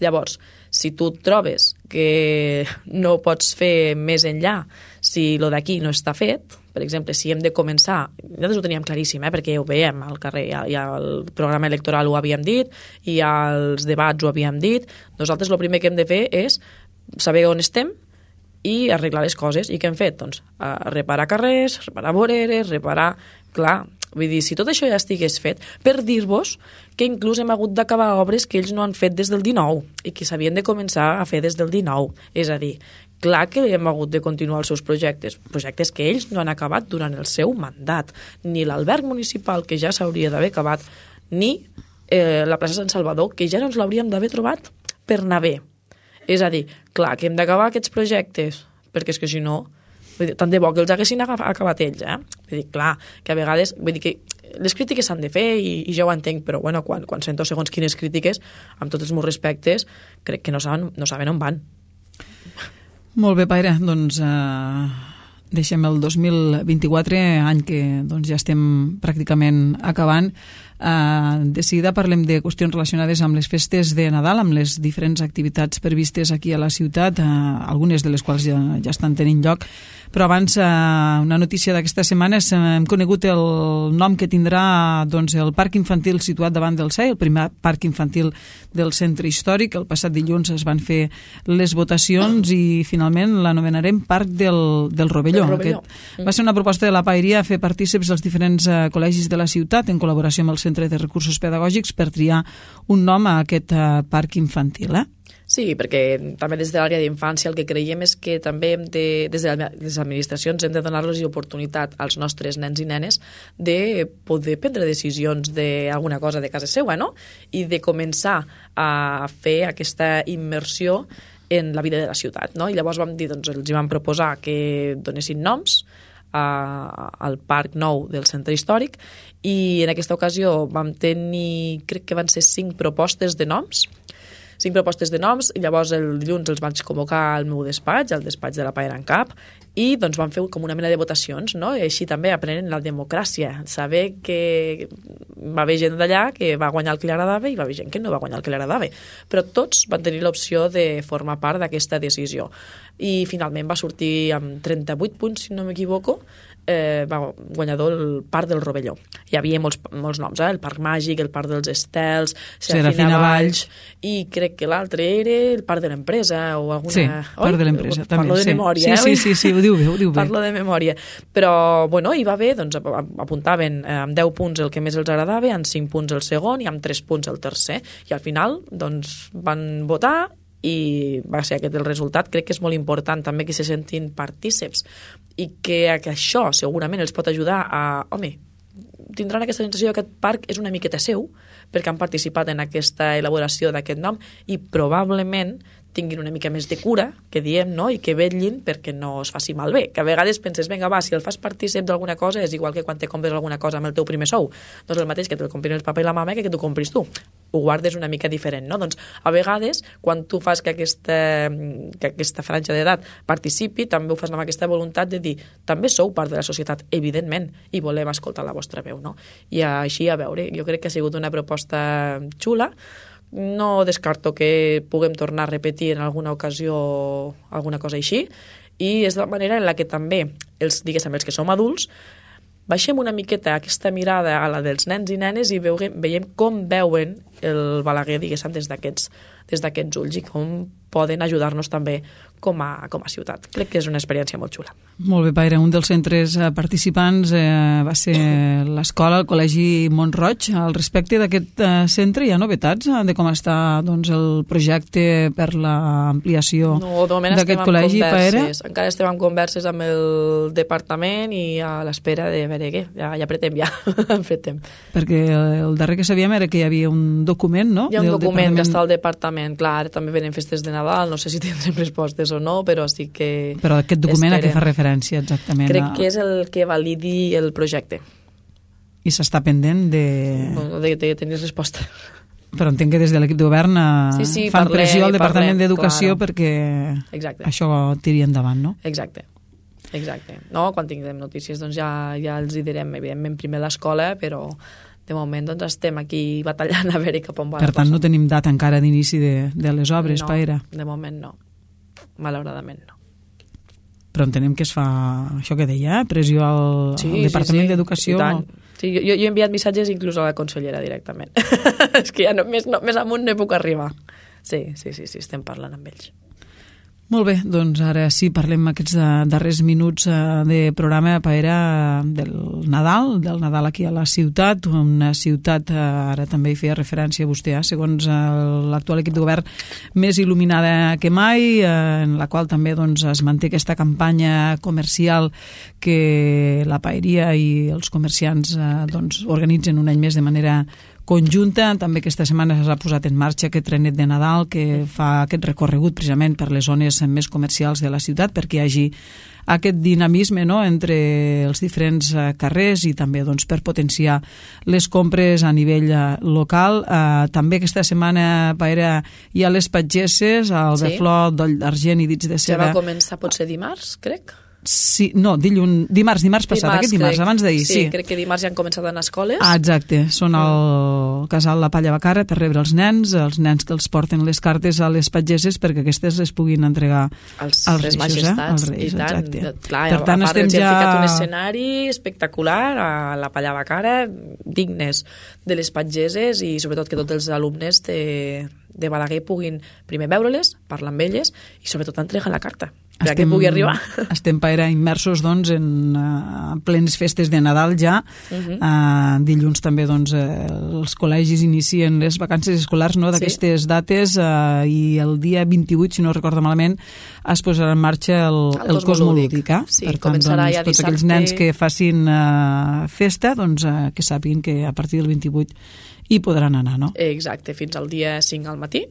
Llavors, si tu et trobes que no pots fer més enllà, si lo d'aquí no està fet, per exemple, si hem de començar, nosaltres ho teníem claríssim, perquè ho veiem al carrer, ja el programa electoral ho havíem dit, i als debats ho havíem dit, nosaltres el primer que hem de fer és saber on estem i arreglar les coses. I què hem fet? Doncs reparar carrers, reparar voreres, reparar... Clar, vull dir, si tot això ja estigués fet, per dir-vos que inclús hem hagut d'acabar obres que ells no han fet des del 19 i que s'havien de començar a fer des del 19. És a dir, clar que hem hagut de continuar els seus projectes que ells no han acabat durant el seu mandat. Ni l'alberg municipal, que ja s'hauria d'haver acabat, ni la plaça Sant Salvador, que ja no ens l'hauríem d'haver trobat per anar bé. És a dir, clar que hem d'acabar aquests projectes, perquè és que si no... tant de bo que els haguessin acabat ells, Vull dir, clar, que a vegades... Vull dir que les crítiques s'han de fer i ja ho entenc, però bueno, quan sento segons quines crítiques, amb tots els meus respectes, crec que no saben on van. Molt bé, Paera, doncs deixem el 2024, any que doncs, ja estem pràcticament acabant. De seguida parlem de qüestions relacionades amb les festes de Nadal, amb les diferents activitats previstes aquí a la ciutat, algunes de les quals ja estan tenint lloc. Però abans, una notícia d'aquesta setmana, hem conegut el nom que tindrà doncs, el parc infantil situat davant del CEI, el primer parc infantil del centre històric. El passat dilluns es van fer les votacions i finalment l'anomenarem Parc del Rovelló. Va ser una proposta de la Paeria fer partícips els diferents col·legis de la ciutat en col·laboració amb el Centre Centre de Recursos Pedagògics, per triar un nom a aquest parc infantil, Sí, perquè també des de l'àrea d'infància el que creiem és que també des de les administracions hem de donar-los l'oportunitat als nostres nens i nenes de poder prendre decisions d'alguna cosa de casa seva, no? I de començar a fer aquesta immersió en la vida de la ciutat, no? I llavors vam dir, doncs, els vam proposar que donessin noms al Parc Nou del Centre Històric i en aquesta ocasió vam tenir, crec que van ser 5 propostes de noms, i llavors el dilluns els vaig convocar al meu despatx, al despatx de la Paera en Cap, i doncs vam fer com una mena de votacions, no? I així també aprenent la democràcia, saber que va haver gent d'allà que va guanyar el que li agradava i va haver gent que no va guanyar el que li agradava, però tots van tenir l'opció de formar part d'aquesta decisió. I finalment va sortir amb 38 punts, si no m'equivoco, va guanyador el Parc del Rovelló. Hi havia molts noms, el Parc Màgic, el Parc dels Estels, Serafina Valls, i crec que l'altre era el Parc de l'Empresa o alguna... Sí, Parc de l'Empresa, també. Parlo de memòria, Sí, ho diu bé. Parlo de memòria. Però, bueno, hi va bé, doncs apuntaven amb 10 punts el que més els agradava, amb 5 punts el segon i amb 3 punts el tercer. I al final, doncs, van votar i va ser aquest el resultat. Crec que és molt important també que se sentin partíceps i que això segurament els pot ajudar a... Home, tindran aquesta sensació que aquest parc és una miqueta seu perquè han participat en aquesta elaboració d'aquest nom i probablement tinguin una mica més de cura, que diem, no? I que vetllin perquè no es faci malbé. Que a vegades penses, vinga, va, si el fas partícip d'alguna cosa és igual que quan te compres alguna cosa amb el teu primer sou. Doncs el mateix que te'l comprin el papa i la mama que t'ho compris tu. Ho guardes una mica diferent, no? Doncs a vegades, quan tu fas que aquesta franja d'edat participi, també ho fas amb aquesta voluntat de dir, també sou part de la societat, evidentment, i volem escoltar la vostra veu, no? I així, a veure, jo crec que ha sigut una proposta xula. No descarto que puguem tornar a repetir en alguna ocasió alguna cosa així, i és la manera en la que també els que som adults baixem una miqueta aquesta mirada a la dels nens i nenes i veiem com veuen el Balaguer, diguéssim, des d'aquests ulls i com poden ajudar-nos també com a ciutat. Crec que és una experiència molt xula. Molt bé, Paira. Un dels centres participants va ser l'escola, el Col·legi Mont-roig. Al respecte d'aquest centre hi ha novetats de com està el projecte per l'ampliació d'aquest col·legi, Paira? Encara estem en converses amb el departament i a l'espera de veure què. Ja apretem, apretem. Perquè el darrer que sabíem era que hi havia un document, no? Hi ha un document que està al departament. Clar, també venen festes de Nadal, no sé si tindrem respostes o no, però sí que... Però aquest document a què fa referència exactament? Crec que és el que validi el projecte. I s'està pendent de... Bueno, de tenir resposta. Però entenc que des de l'equip de govern fan pressió al Departament d'Educació perquè això tiri endavant, no? Exacte. No, quan tinguem notícies doncs ja els hi direm, evidentment, primer l'escola, però de moment doncs estem aquí batallant a veure cap on va. Per tant, no tenim data encara d'inici de les obres, Paira? No, de moment no. Malauradament no. Però entenem que es fa això que deia, pressió al Departament d'Educació. Sí, jo he enviat missatges inclús a la consellera directament. És que ja més amunt no puc arribar. Sí, estem parlant amb ells. Molt bé, doncs ara sí parlem aquests darrers minuts de programa, Paera, del Nadal aquí a la ciutat, una ciutat, ara també hi feia referència vostè, segons l'actual equip de govern, més il·luminada que mai, en la qual també es manté aquesta campanya comercial que la paeria i els comerciants organitzen un any més de manera conjunta. També aquesta setmana s'ha posat en marxa aquest trenet de Nadal que fa aquest recorregut precisament per les zones més comercials de la ciutat perquè hi hagi aquest dinamisme, no?, entre els diferents carrers i també per potenciar les compres a nivell local. També aquesta setmana, Paera, hi ha les patgesses, el Beflor, Doll d'Argent i Dits de Seda. Ja va començar potser dimarts, crec? Sí, no, dimarts passat, aquest dimarts, abans d'ahir, sí. Sí, crec que dimarts ja han començat a anar a escoles. Exacte, són al casal La Palla Bacara per rebre els nens que els porten les cartes a les patgesses perquè aquestes les puguin entregar als reis, majestats. Als reis, exacte. Clar, per tant, estem ja... ficat un escenari espectacular a La Palla Bacara, dignes de les patgesses i sobretot que tots els alumnes de Balaguer puguin primer veure-les, parlar amb elles i sobretot entregar la carta. perquè pugui arribar. Estem immersos doncs, en plenes festes de Nadal ja. Dilluns també doncs, els col·legis inicien les vacances escolars, no, d'aquestes dates, i el dia 28, si no recordo malament, es posarà en marxa el Cosmolúdic. Sí, per tant, començarà ja tots dissabte. aquells nens que facin festa, doncs, que sàpiguen que a partir del 28 hi podran anar, no? Exacte, fins al dia 5 al matí.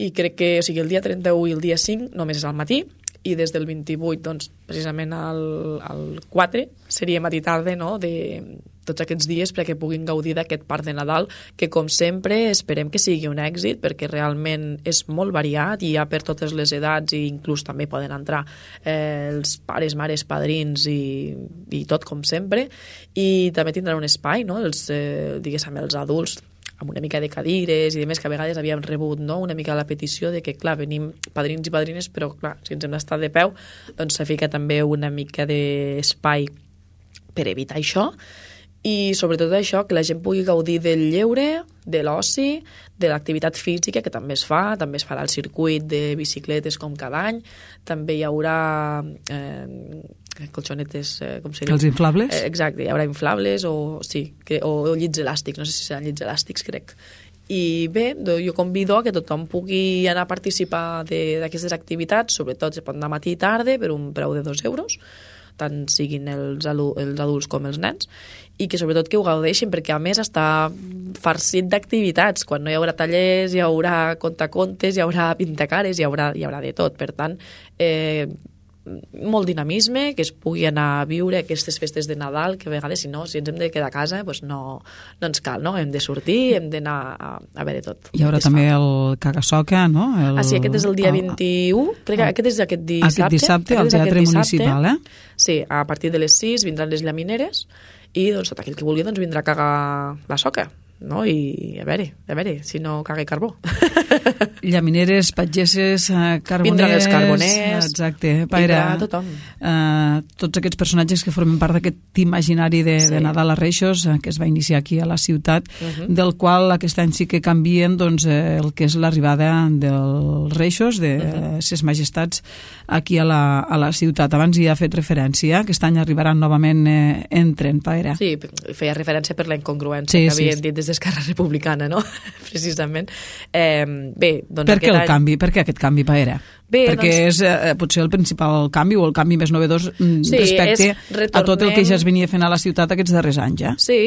I crec que, o sigui, el dia 31 i el dia 5 només és al matí, i des del 28, doncs, precisament al 4, seria matí-tarda, no?, de tots aquests dies perquè puguin gaudir d'aquest parc de Nadal, que, com sempre, esperem que sigui un èxit, perquè realment és molt variat, i hi ha per totes les edats, i inclús també poden entrar els pares, mares, padrins, i tot, com sempre, i també tindran un espai, no?, diguéssim, els adults, amb una mica de cadires i demés, que a vegades havíem rebut, no?, una mica la petició de que, clar, venim padrins i padrines, però, clar, si ens hem d'estar de peu, doncs se fica també una mica d'espai per evitar això, i sobretot això, que la gent pugui gaudir del lleure, de l'oci, de l'activitat física, que també es farà el circuit de bicicletes com cada any, també hi haurà colxonetes, com seria? Els inflables? Exacte, hi haurà inflables o llits elàstics, no sé si seran llits elàstics, crec. I bé, jo convido a que tothom pugui anar a participar d'aquestes activitats, sobretot se pot anar matí i tarda per un preu de 2 euros, tant siguin els adults com els nens, i que sobretot que ho gaudeixin, perquè a més està farcit d'activitats. Quan no hi haurà tallers, hi haurà contacontes, hi haurà pintacares, hi haurà de tot. Per tant, molt dinamisme, que es pugui anar a viure aquestes festes de Nadal, que a vegades, si ens hem de quedar a casa, doncs no ens cal, no? Hem de sortir, hem d'anar a veure tot. Hi haurà també el Cagasoca, no? Sí, aquest és el dia 21, crec que aquest és aquest dissabte. Aquest dissabte, al Teatre Municipal, Sí, a partir de les 6 vindran les llamineres, i doncs tot aquell que vulgui doncs, vindrà a cagar la soca, no? I a veure si no caga carbó. Llamineres, pageses, carboners... Vindran els carboners, exacte, vindrà tothom. Tots aquests personatges que formen part d'aquest imaginari de Nadal a Reixos, que es va iniciar aquí a la ciutat, del qual aquest any sí que canvien doncs, el que és l'arribada dels Reixos, de ses majestats, aquí a la ciutat. Abans hi ha fet referència, aquest any arribaran novament en tren, Paera. Sí, feia referència per la incongruència que havien dit des d'Esquerra Republicana, no? Precisament. Bé, doncs per què el canvi? Per què aquest canvi, Paera? Perquè és potser el principal canvi o el canvi més novedós respecte a tot el que ja es venia fent a la ciutat aquests darrers anys, ja? Sí,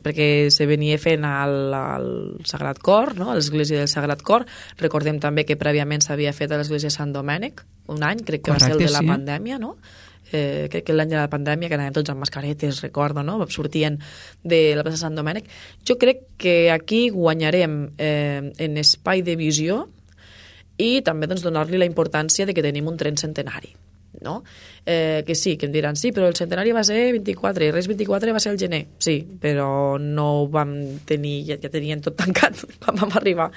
perquè se venia fent al Sagrat Cor, no? A l'església del Sagrat Cor. Recordem també que prèviament s'havia fet a l'església de Sant Domènec, un any, crec que va ser el de la pandèmia, no? Crec que l'any de la pandèmia, que anàvem tots amb mascaretes, recordo, no? Sortien de la plaça Sant Domènec. Jo crec que aquí guanyarem en espai de visió i també doncs, donar-li la importància de que tenim un tren centenari, no? Que sí, que em diran, sí, però el centenari va ser 24, i res 24 va ser el gener. Sí, però no ho vam tenir, ja tenien tot tancat quan vam arribar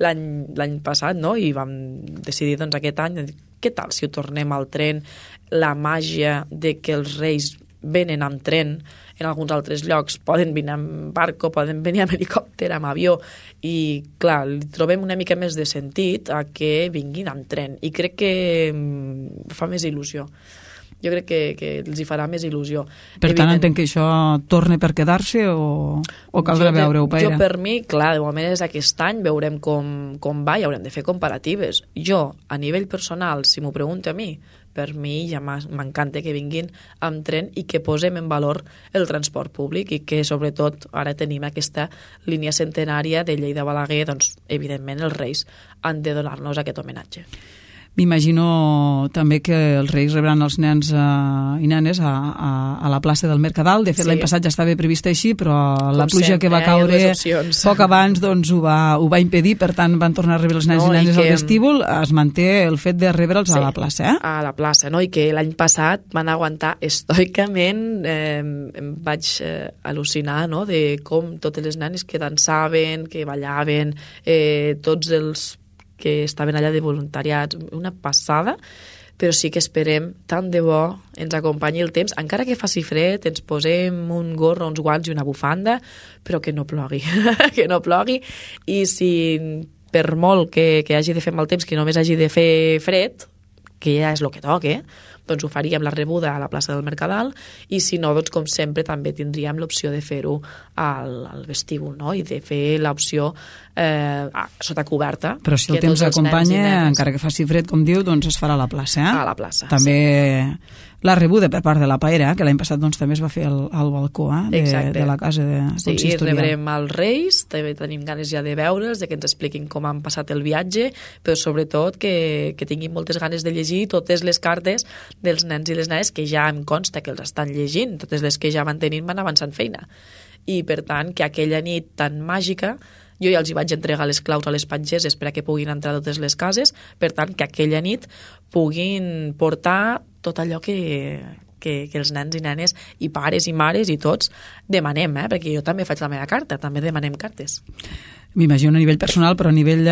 l'any passat, no? I vam decidir doncs, aquest any, què tal si ho tornem al tren, la màgia de que els reis venen amb tren, en alguns altres llocs poden venir amb barco, poden venir amb helicòpter, amb avió, i clar, li trobem una mica més de sentit a que vinguin amb tren, i crec que fa més il·lusió. Jo crec que els hi farà més il·lusió. Per tant, entenc que això torna per quedar-se o caldrà veure-ho, Paera? Jo, per mi, clar, de moment és aquest any, veurem com va i haurem de fer comparatives. Jo, a nivell personal, si m'ho pregunta a mi, per mi ja m'encanta que vinguin amb tren i que posem en valor el transport públic i que, sobretot, ara tenim aquesta línia centenària de Lleida-Balaguer, doncs, evidentment, els Reis han de donar-nos aquest homenatge. M'imagino també que els Reis rebran els nens i nenes a la plaça del Mercadal. De fet, l'any passat ja estava previst així, però la pluja que va caure poc abans doncs, ho va impedir, per tant van tornar a rebre els nens i nenes al vestíbul. Es manté el fet de rebre'ls a la plaça. A la plaça, no? I que l'any passat van aguantar estoicament. Em vaig al·lucinar, no?, de com totes les nenes que dansaven, que ballaven, tots els que estaven allà de voluntariats, una passada, però sí que esperem, tant de bo, ens acompanyi el temps, encara que faci fred, ens posem un gorro, uns guants i una bufanda, però que no plogui, que no plogui, i si per molt que hagi de fer mal temps, que només hagi de fer fred, que ja és el que toca, doncs ho faríem la rebuda a la plaça del Mercadal, i si no, doncs com sempre també tindríem l'opció de fer-ho al vestíbul, no? I de fer l'opció sota coberta. Però si el temps acompanya, encara que faci fred, com diu, doncs es farà a la plaça. A la plaça, també la rebuda per part de la Paera, que l'any passat doncs, també es va fer al balcó de la casa consistorial. Sí, rebrem els Reis, també tenim ganes ja de veure'ls, de que ens expliquin com han passat el viatge, però sobretot que tinguin moltes ganes de llegir totes les cartes dels nens i les nenes que ja em consta que els estan llegint, totes les que ja van tenint van avançant feina. I per tant, que aquella nit tan màgica, jo ja els hi vaig entregar les claus a les patgeses per a que puguin entrar a totes les cases, per tant, que aquella nit puguin portar tot allò que els nens i nenes i pares i mares i tots demanem, perquè jo també faig la meva carta, també demanem cartes. M'imagino a nivell personal, però a nivell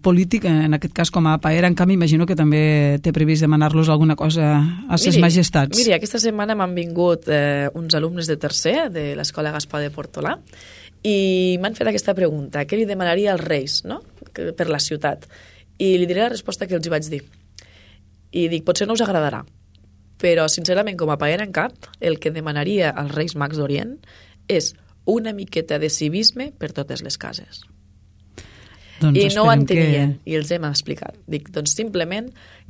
polític, en aquest cas com a Paera, en canvi, imagino que també té previst demanar-los alguna cosa a ses majestats. Miri, aquesta setmana m'han vingut uns alumnes de tercer de l'Escola Gaspar de Portolà i m'han fet aquesta pregunta, què li demanaria als Reis, no?, per la ciutat? I li diré la resposta que els hi vaig dir. I dic, potser no us agradarà, però sincerament com a Paera en cap, el que demanaria als Reis Mags d'Orient és una miqueta de civisme per totes les cases. Doncs I no ho entenien, i els hem explicat. Dic, doncs simplement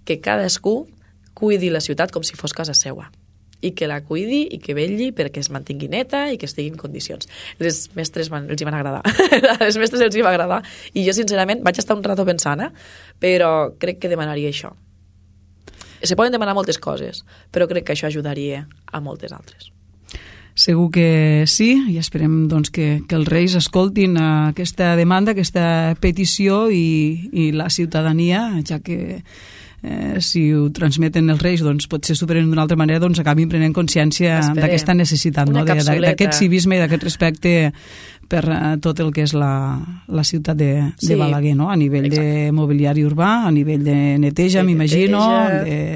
que cadascú cuidi la ciutat com si fos casa seua, i que la cuidi i que vetlli perquè es mantingui neta i que estigui en condicions. Les mestres els hi van agradar. A les mestres els hi va agradar. I jo, sincerament, vaig estar un rato pensant, però crec que demanaria això. Se poden demanar moltes coses, però crec que això ajudaria a moltes altres. Segur que sí, i esperem doncs, que els Reis escoltin aquesta demanda, aquesta petició i la ciutadania, ja que si ho transmeten els Reis, doncs potser superen d'una altra manera, doncs acabin prenent consciència d'aquesta necessitat, no? D'aquest civisme i d'aquest respecte per tot el que és la ciutat de Balaguer, no? A nivell de mobiliari urbà, a nivell de neteja, m'imagino.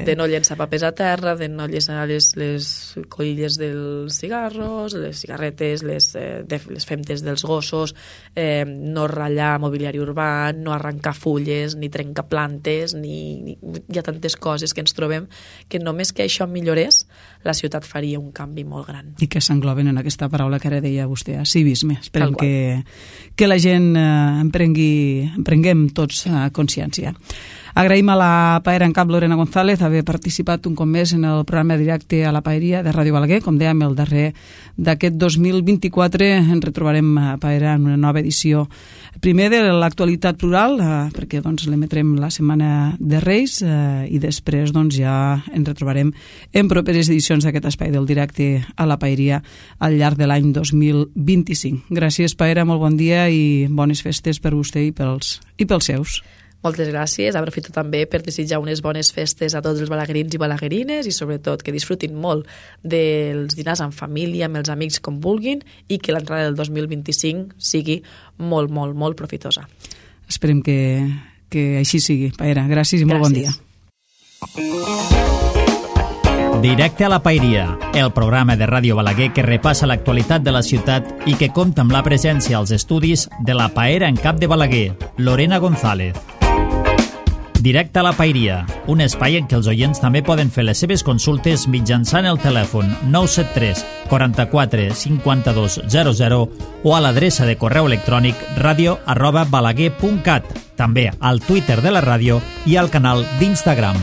De no llençar papers a terra, de no llençar les colilles dels cigarros, les cigarretes, les femtes dels gossos, no ratllar mobiliari urbà, no arrencar fulles, ni trencar plantes, ni hi ha tantes coses que ens trobem que només que això millorés, la ciutat faria un canvi molt gran. I que s'engloben en aquesta paraula que ara deia vostè, civisme. Esperem que la gent prenguem tots consciència. Agraïm a la Paera en cap Lorena González haver participat un cop més en el programa directe a la Paeria de Ràdio Balaguer. Com dèiem, el darrer d'aquest 2024 ens retrobarem a Paera en una nova edició. Primer de l'actualitat plural, perquè doncs, l'emetrem la setmana de Reis i després doncs, ja ens retrobarem en properes edicions d'aquest espai del directe a la Paeria al llarg de l'any 2025. Gràcies, Paera, molt bon dia i bones festes per vostè i pels seus. Moltes gràcies. Aprofito també per desitjar unes bones festes a tots els balaguerins i balaguerines i sobretot que disfrutin molt dels dinars en família, amb els amics com vulguin i que l'entrada del 2025 sigui molt, molt, molt profitosa. Esperem que així sigui. Paera, gràcies i molt bon dia. Directe a la Paeria, el programa de Ràdio Balaguer que repassa l'actualitat de la ciutat i que compta amb la presència als estudis de la Paera en cap de Balaguer, Lorena González. Directe a la Paeria, un espai en què els oients també poden fer les seves consultes mitjançant el telèfon 973 44 52 00 o a l'adreça de correu electrònic radio@balaguer.cat, també al Twitter de la ràdio i al canal d'Instagram.